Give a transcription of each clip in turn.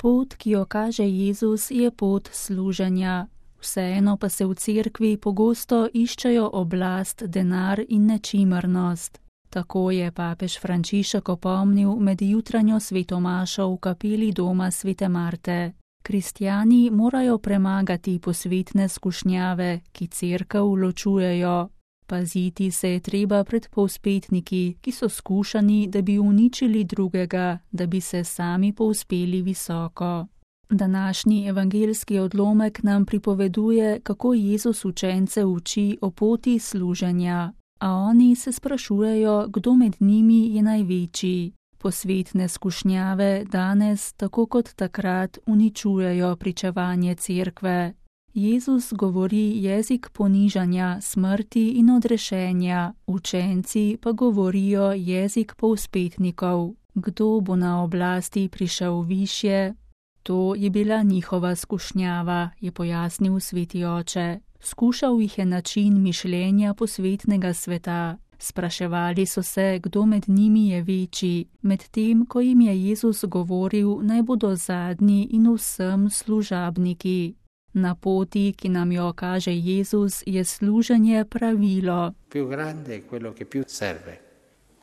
Pot, ki jo kaže Jezus, je pot služenja. Vseeno pa se v cerkvi pogosto iščejo oblast, denar in nečimrnost. Tako je papež Frančišek opomnil med jutranjo svetomašo v kapeli doma svete Marte. Kristjani morajo premagati posvetne skušnjave, ki cerkev ločujejo. Paziti se je treba pred povzpetniki, ki so skušani, da bi uničili drugega, da bi se sami povzpeli visoko. Današnji evangeljski odlomek nam pripoveduje, kako Jezus učence uči o poti služenja, a oni se sprašujejo, kdo med njimi je največji. Posvetne skušnjave danes, tako kot takrat, uničujejo pričevanje cerkve. Jezus govori jezik ponižanja, smrti in odrešenja, učenci pa govorijo jezik povzpetnikov. Kdo bo na oblasti prišel višje? To je bila njihova skušnjava, je pojasnil sveti oče. Skušal jih je način mišljenja posvetnega sveta. Spraševali so se, kdo med njimi je večji, medtem ko jim je Jezus govoril, naj bodo zadnji in vsem služabniki. Na poti, ki nam jo kaže Jezus, je služenje pravilo. Più grande è quello che più serve,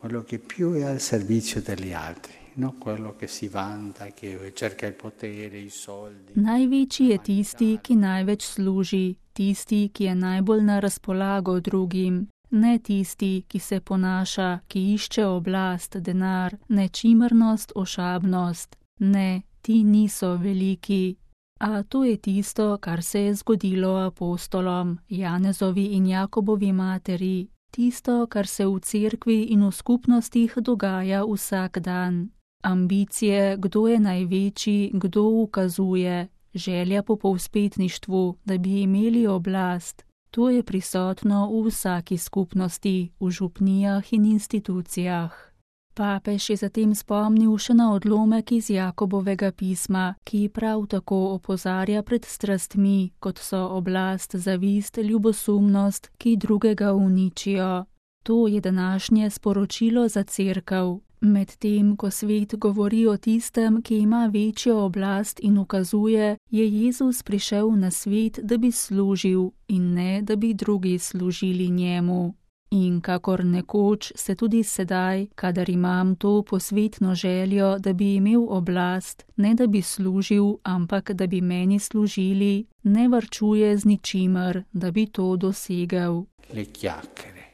quello che più è al servizio degli altri. No, quello che si vanta, che cerca il potere, i soldi. Največji je tisti, ki največ služi, tisti, ki je najbolj na razpolago drugim, ne tisti, ki se ponaša, ki išče oblast, denar, nečimrnost, ošabnost. Ne, ti niso veliki. A to je tisto, kar se je zgodilo apostolom, Janezovi in Jakobovi materi, tisto, kar se v cerkvi in v skupnostih dogaja vsak dan. Ambicije, kdo je največji, kdo ukazuje, želja po povzpetništvu, da bi imeli oblast. To je prisotno v vsaki skupnosti, v župnijah in institucijah. Papež je zatem spomnil še na odlomek iz Jakobovega pisma, ki prav tako opozarja pred strastmi, kot so oblast, zavist, ljubosumnost, ki drugega uničijo. To je današnje sporočilo za cerkev. Medtem, ko svet govori o tistem, ki ima večjo oblast in ukazuje, je Jezus prišel na svet, da bi služil in ne, da bi drugi služili njemu. In kakor nekoč se tudi sedaj, kadar imam to posvetno željo, da bi imel oblast, ne da bi služil, ampak da bi meni služili, ne varčuje z ničimer, da bi to dosegel. Le chiacchiere,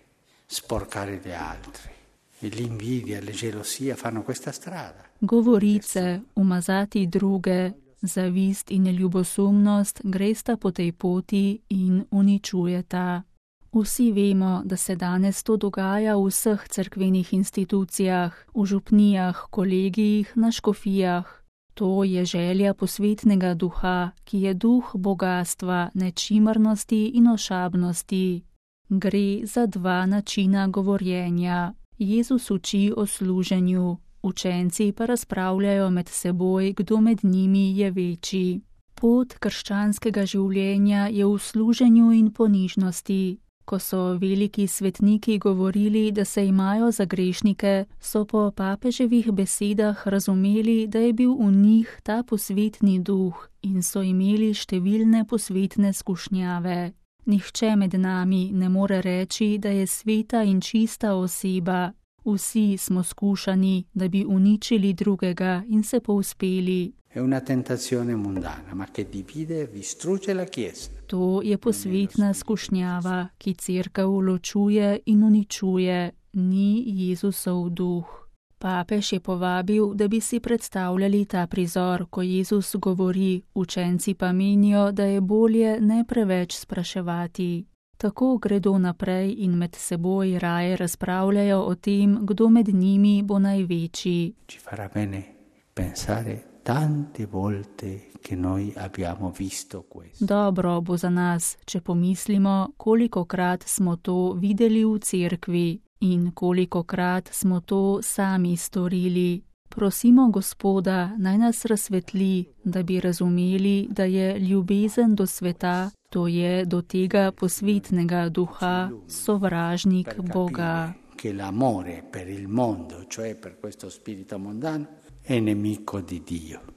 sporcare gli altri, l'invidia, le gelosie fanno questa strada. Govorice, umazati druge, zavist in ljubosumnost gresta po tej poti in uničujeta. Vsi vemo, da se danes to dogaja v vseh cerkvenih institucijah, v župnijah, kolegijih, na škofijah. To je želja posvetnega duha, ki je duh bogastva, nečimrnosti in ošabnosti. Gre za dva načina govorjenja. Jezus uči o služenju, učenci pa razpravljajo med seboj, kdo med njimi je večji. Pot krščanskega življenja je v služenju in ponižnosti. Ko so veliki svetniki govorili, da se imajo za grešnike, so po papeževih besedah razumeli, da je bil v njih ta posvetni duh in so imeli številne posvetne skušnjave. Nihče med nami ne more reči, da je sveta in čista oseba. Vsi smo skušani, da bi uničili drugega in se povzpeli. È una tentazione mundana, ma che divide e distrugge la Chiesa. To je posvetna skušnjava, ki cerkev ločuje in uničuje, ni Jezusov duh. Papež je povabil, da bi si predstavljali ta prizor, ko Jezus govori, učenci pa menijo, da je bolje ne preveč spraševati. Tako gredo naprej in med seboj raje razpravljajo o tem, kdo med njimi bo največji. Ci farà bene pensare tante volte che noi abbiamo visto questo. Dobro bo za nas, če pomislimo, kolikokrat smo to videli v cerkvi in kolikokrat smo to sami storili. Prosimo Gospoda, naj nas razsvetli, da bi razumeli, da je ljubezen do sveta, to je do tega posvetnega duha, sovražnik Boga. Che l'amore per il mondo, cioè per questo spirito mondano, è nemico di Dio.